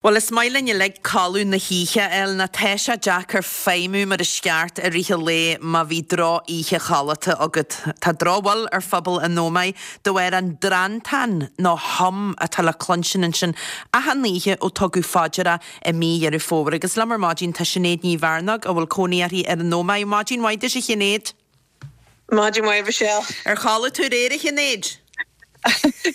Bhuel, is maith linn uilig codladh na hoíche a fháil, nó tá sé deacair feidhmiú mar is ceart i rith an lae má bhí droch-oíche chodlata agat. Tá drochbhail ar phobal an Ómaigh de bharr an drantán nó hum atá le cluinstin ansin achan oíche ó tugadh fá deara i mí Dheireadh Fómhair. Agus liom ar maidin tá Sinéad Ní Mhearnóg a bhfuil cónaí uirthi ar an Ómaigh. Maidin mhaith duit a Shinéad. Maidin mhaith, a Mhichelle. Ar chodlaigh tú aréir, a Shinéid?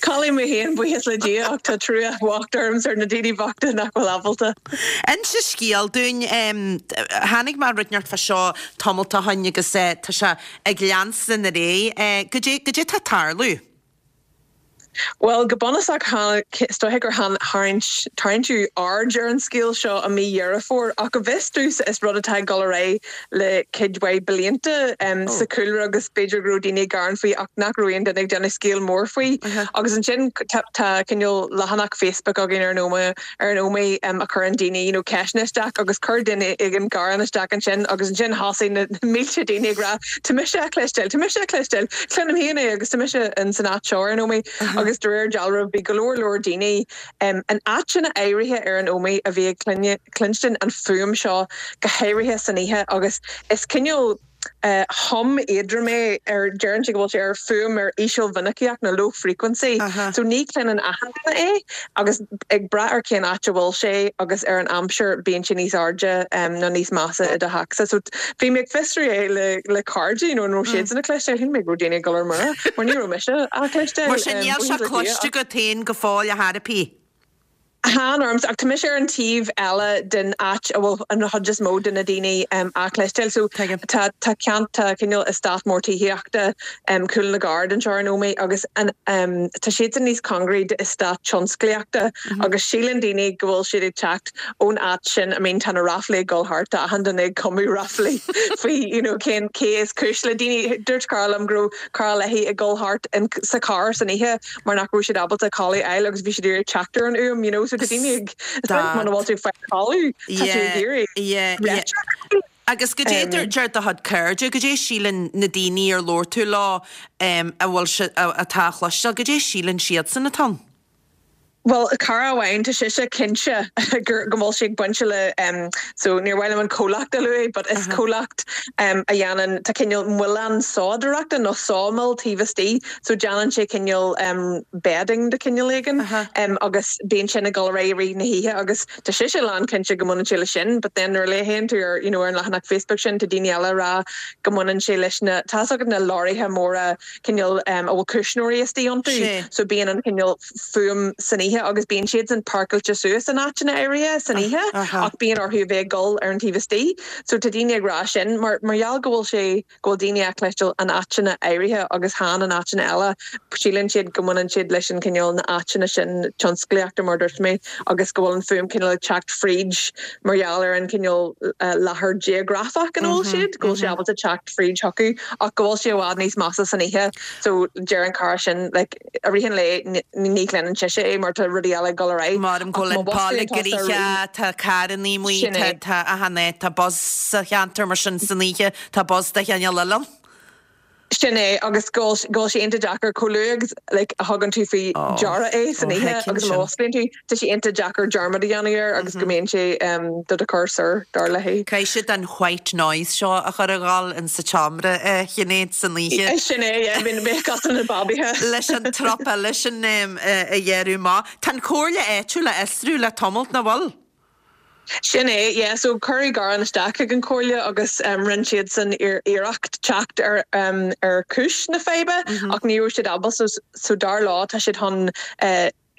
Chodlaigh mé féin, buíochas le Dia, ach tá trua bhocht ormsa ar na daoine bochta nach bhfuil ábalta. Inis an scéal dúinn. Tháinig mé ar rud inteacht fá seo tamalt ó shoin agus tá sé ag leanstan ar aghaidh. Goidé, goidé tá ag tarlú? Bhuel, go bunúsach, is dóiche gur tarraingíodh aird ar an scéal seo i mí Dheireadh Fómhair, ach go bhfios domhsa is rud atá ag dul ar aghaidh le cuid mhaith blianta sa chúlra agus b'fhéidir go raibh daoine ag gearán faoi ach nach raibh aon duine ag déanamh scéal mór faoi. Agus ansin tá cineál leathanach Facebook againn ar an Ómaigh, ar an Ómaigh a chuireann daoine you know ceisteanna isteach agus chuir duine éigin gearán isteach ansin agus ansin thosaigh na mílte daoine ag rá tá mise á chloisteáil, tá mise á chloisteáil, cluinim féin é agus tá mise in san áit seo ar an Ómaigh agus de réir dealraimh bhí go leor leor daoine in áiteanna áirithe ar an Ómaigh a bhí ag cluinstin an fuaim seo go háirithe san oíche agus is cineál hum éadrom é ar deireann sé go bhfuil sé ar fuaim ar ísealmhinicíocht nó low frequency so ní chluineann achan duine é agus ag brath ar cén áit a bhfuil sé agus ar an aimsir bíonn sé níos airde nó níos measa i do theachsa. So bhí mé ag fiosrú é le le cairde you know an raibh siadsan á chloisteáil, shíl mé go raibh daoine ag dul ar mire mar ní raibh mise á chloisteáil. Mar sin níl sé cloiste agat féin go fóill ar chor ar bith. Chan ormsa, ach tá mise ar an taobh eile den áit a bhfuil an chuid is mó de na daoine á chloisteáil. So tá tá ceant tá cineál eastát mór tithíochta Cúl na gCarad anseo ar an Ómaigh agus an tá siadsan níos cóngaraí d'eastát tionsclaíochta agus síleann daoine go bhfuil siad ag teacht ón áit sin. I mean tá na ráflaí ag dul thart, tá achan duine ag cumadh ráflaí faoi you know cén cé is cúis le daoine. Dúirt cara liom go raibh cara léi ag dul thart in sa charr san oíche mar nach raibh siad ábalta codladh a fháil agus bhí siad ag iarraidh teacht ar an fhuaim, you know, so tá daoine ag, is dóigh muna bhfuil tú ag fáil codladh, tá tú ag iarraidh réiteach. Agus goidé a deir do chuid cairde, goidé a síleann na daoine ar labhair tú leo a bhfuil sé, atá á chloisteáil, goidé a síleann siadsan atá ann? Bhuel, cara amháin, tá sise cinnte gur, go bhfuil sé ag baint le, so níor mhaith liom an comhlacht a luaigh, but is comhlacht a dhéanann, tá cineál muileann sádóireachta nó sawmill taobh istigh, so déanann sé cineál bedding de chineál éigin agus bíonn sin ag dul ar aghaidh i rith na hoíche agus tá sise lán cinnte go mbaineann sé leis sin, but then nuair a léann tú ar, you know, ar an leathanach Facebook sin, tá daoine eile ag rá go mbaineann sé leis na, tá's agat na leoraithe móra cineál a bhfuil cuisneoirí istigh iontu, so bíonn an cineál. fuaim san oíche agus bíonn siadsan páirceáilte suas in áiteanna áirithe san oíche ach bíonn orthu a bheith ag dul ar an taobh istigh. So tá daoine ag rá sin mar mar gheall go bhfuil sé go bhfuil daoine á chloisteáil in áiteanna áirithe agus chan in áiteanna eile síleann siad go mbaineann siad leis an cineál na áiteanna sin tionsclaíochta mar a dúirt mé agus go bhfuil an fuaim cineál ag teacht fríd mar gheall ar an cineál láthair geografach ina bhfuil siad go bhfuil sé ábalta teacht fríd chucu ach go bhfuil sé i bhfad níos measa san oíche so deir an cara sin like I rith an lae ní chluineann sise é mar tá rudaí eile ag dul ar aghaidh. Mar go bhfuil an baile gnoitheach, tá carrannaí amuigh, tá achan áit, tá buzz sa cheantar mar sin san oíche, tá buzz de chineál eile ann. Sin é, agus go bhfuil sé iontach deacair chomh luath agus like a thugann tú faoi deara é san oíche agus má osclaíonn tú, Tá sé iontach deacair dearmad a dhéanamh air agus go mbíonn sé do do chur soir, dar léi. Caithfidh siad an white noise seo a chur ag gabháil in sa tseomra, a Shinéad, san oíche. Sin é, yeah, bíonn cosúil le babaithe. Leis an trup eile sin a ghearradh amach. Tá an chomhairle áitiúil á fhiosrú le tamalt, nach bhfuil? Sin é, yeah, so cuireadh gearán isteach chuig an chomhairle agus rinne siadsan iarracht teacht ar ar chúis na faidhbe ach ní raibh siad ábalta, so dar leo tá siad chun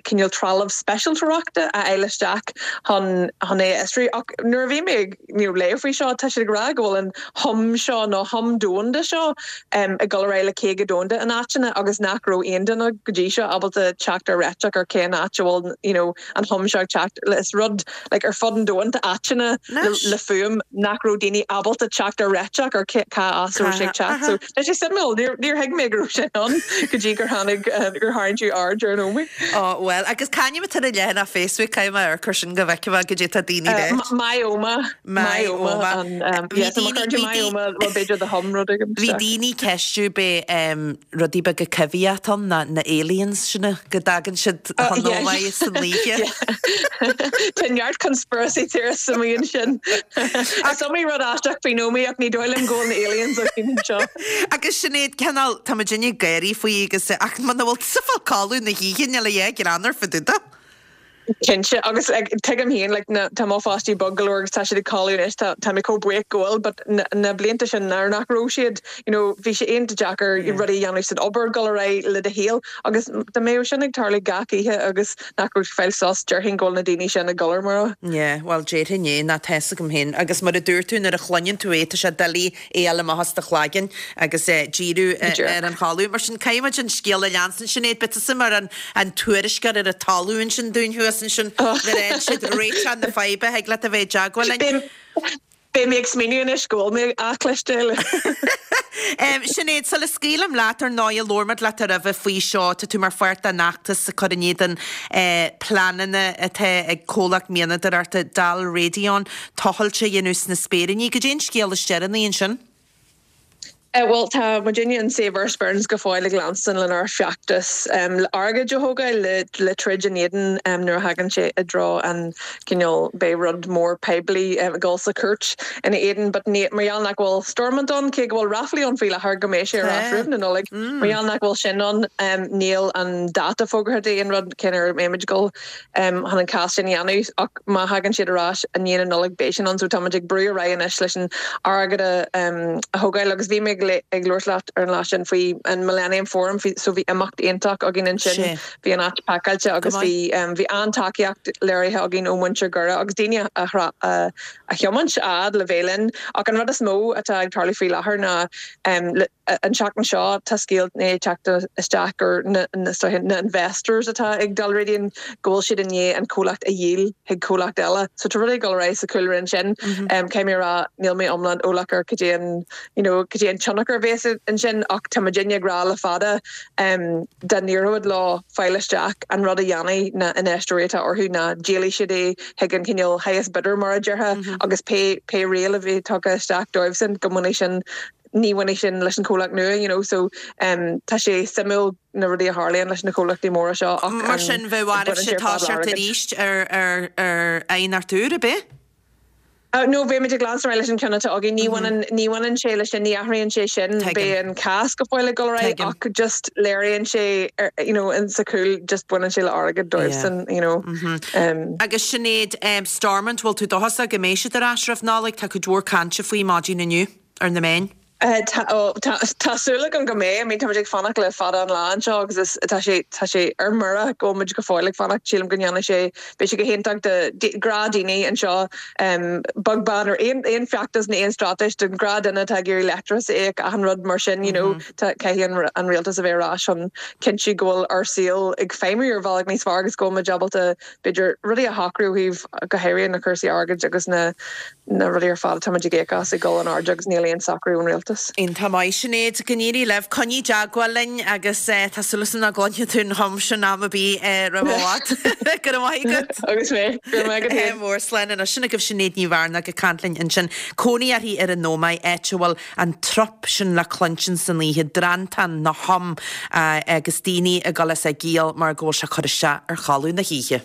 cineál trealamh speisialtóireachta a fháil isteach chun chun é a fhiosrú. Ach nuair a bhí mé ag you know léamh faoi seo, tá siad ag rá go bhfuil an hum seo nó hum domhanda seo ag dul ar aghaidh le 50 domhanda in áiteanna agus nach raibh aon duine go dtí seo ábalta teacht ar réiteach ar cén áit a bhfuil you know an hum seo ag teacht. Is rud like ar fud an domhain tá áiteanna le le fuaim nach raibh daoine ábalta teacht ar réiteach ar cá as a raibh sé ag teacht. So Tá sé suimiúil, níor thuig mé go raibh sé ann go dtí gur tháinig, gur tharraing tú aird ar an Ómaigh. Ó, bhuel. Bhuel, agus c'ainm atá ar an leathanach Facebook, caithfidh mé amharc air sin go bhfeicfidh mé goidé tá daoine ag ráit. Myomas. Myomas. Bhí daoine, bhí b'fhéidir the hum rud éigin. Bhí daoine ag ceistiú b'é rudaí beaga coimhthíocha atá ann, na aliens sin go dtagann siad chun Ómaigh san oíche. Tá neart conspiracy theorists amuigh ansin. Is iomaí rud aisteach faoin Ómaigh ach ní dóigh liom go bhfuil na aliens againn anseo. Agus Sinéad, cineál, tá muidinne ag gáirí faoi agus ach muna bhfuil tusa ag fáil codladh na hoíche níl a dhath greannmhar fá dtaobh de. Cinnte, agus like tuigim féin like na tá mo pháistí bog go leor agus tá siad ag codladh anois, tá tá mé chomh buíoch go bhfuil but na na blianta sin nuair nach raibh siad you know bhí sé iontach deacair rudaí a dhéanamh san obair, dul ar aghaidh le do shaol agus dá mbeadh sin ag tarlú gach oíche agus nach raibh fáil sos, déarfainn go bhfuil na daoine sin ag dul ar mire. Yeah, bhuel déarfainn é, ná tá's agam féin agus mar a dúirt tú nuair a chluineann tú é tá sé doiligh é a fháil amach as do chloigeann agus díriú ar an chodladh. Mar sin, caithfidh muid an scéal a leanstan. Sinéad, beidh tusa mar an tuairisceoir ar an talamh ansin dúinn thuas ansin nuair a fhaigheann siad réiteach na faidhbe, thig leat a bheith i dteagmháil linn. Beidh mé ag smaoineamh anois go bhfuil mé á chloisteáil. Sinéad, sula scaoilim leat, ar ndóigh, labhair muid leat roimhe faoi seo, tá tú mar pháirt den fheachtas ag cur in éadan pleananna atá ag comhlacht mianadóireachta Dalradian tochailt a dhéanamh sna Spéiríní. Goidé an scéal is deireanaí ansin? Bhuel, tá muidinne in Save Our Sperrins go fóill ag leanstan lenár feachtas le airgead a thógáil le troid in éadan nuair a thagann sé i dtreo an cineál beidh rud mór poiblí ag dul sa chúirt ina éadan but ní mar gheall nach bhfuil Stormont ann cé go bhfuil ráflaí ann faoi láthair go mbeidh sé ar ais roimh na Nollaig mar gheall nach bhfuil sin ann níl an dáta fógartha d'aon rud cén uair a mbeimid ag dul chun an cás sin a dhéanamh ach má thagann siad ar ais i ndiaidh na Nollag beidh sin ann so táimid ag brú ar aghaidh anois leis an airgead a thógáil agus bhí mé ag labhairt leat ar an lá sin faoi an Millennium Forum so bhí imeacht iontach againn ansin bhí an áit pacáilte agus bhí bhí an-tacaíocht léirithe againn ó mhuintir Dhoire agus daoine a a thiomáint a fhad le bheith linn ach an rud is mó atá ag tarlú faoi láthair ná An tseachtain seo tá scéal i ndiaidh teacht isteach gur na na investors atá ag Dalradian go bhfuil siad i ndiaidh an comhlacht a dhíol chuig comhlacht eile. So tá rudaí ag dul ar aghaidh sa chúlra ansin. Caithfidh mé a rá níl mé iomlán eolach ar cad é an you know cad é an tionchar a bhéas ansin ach tá muidinne ag rá le fada dá n-éireodh leo fáil isteach an rud a dhéanfaidh na infheisteoirí atá orthu ná díolfaidh siad é chuig an cineál highest bidder mar a déarfá agus pé pé riail a bheidh tugtha isteach dóibhsan go mbainfidh sin ní bhainfidh sin leis an chomhlacht nua you know so tá sé suimiúil na rudaí a tharlaíonn leis na comhlachtaí móra seo ach Mar sin bheadh oraibhse toiseacht arís ar ar ar aighneacht úr, ab é? No beimid ag leanstan ar aghaidh leis an ceann atá againn. Ní bhaineann ní bhaineann sé leis sin, ní athraíonn sé sin. Beidh an cás go fóill ag dul ar aghaidh ach just léiríonn sé you know in sa chúl just baineann sé le airgead dóibhsan you know. Agus Sinéad, Stormont, bhfuil tú dóchasach go mbeidh siad ar ais roimh Nollaig? Tá cuid mhór cainte faoi maidin inniu. ar na meáin. Tá, tá súil agam go mbeidh. I mean, tá muid ag fanacht le fada an lá anseo agus is, tá sé, tá sé ar mire go bhfuil muid go fóill ag fanacht. Sílim go ndéanfaidh sé, beidh sé go hiontach do ghnáthdhaoine anseo, beag beann ar aon, aon feachtas nó aon straitéis, don ghnáthdhuine atá ag iarraidh leictreachas a íoc, achan rud mar sin, you know, tá, caithfidh an, an rialtas a bheith ar ais chun cinntiú go bhfuil ár saol ag feidhmiú ar bhealach níos fearr agus go bhfuil muid ábalta, b'fhéidir, rudaí a shocrú ó thaobh, go háirithe na cúrsaí airgid agus na. na rudaí ar fad atá muid ag íoc as ag dul in airde agus níl aon socrú ón rialtas. Iontach maith, Sinéad. Go n-éirí libh. Coinnigh i dteagmháil linn agus tá súil agam nach gcluinfidh tú an hum sin am ar bith roimh i bhfad. Go raibh maith agat. Agus mé. Go raibh maith agat féin. Mór slán anois. Sin agaibh Sinéad Ní Mhearnáin ag caint linn ansin. Cónaí uirthi ar an Ómaigh, áit a bhfuil an trup sin le cluinstin san oíche, drantán nó hum agus daoine ag dul as a gciall mar go bhfuil sé ag cur isteach ar chodladh na hoíche.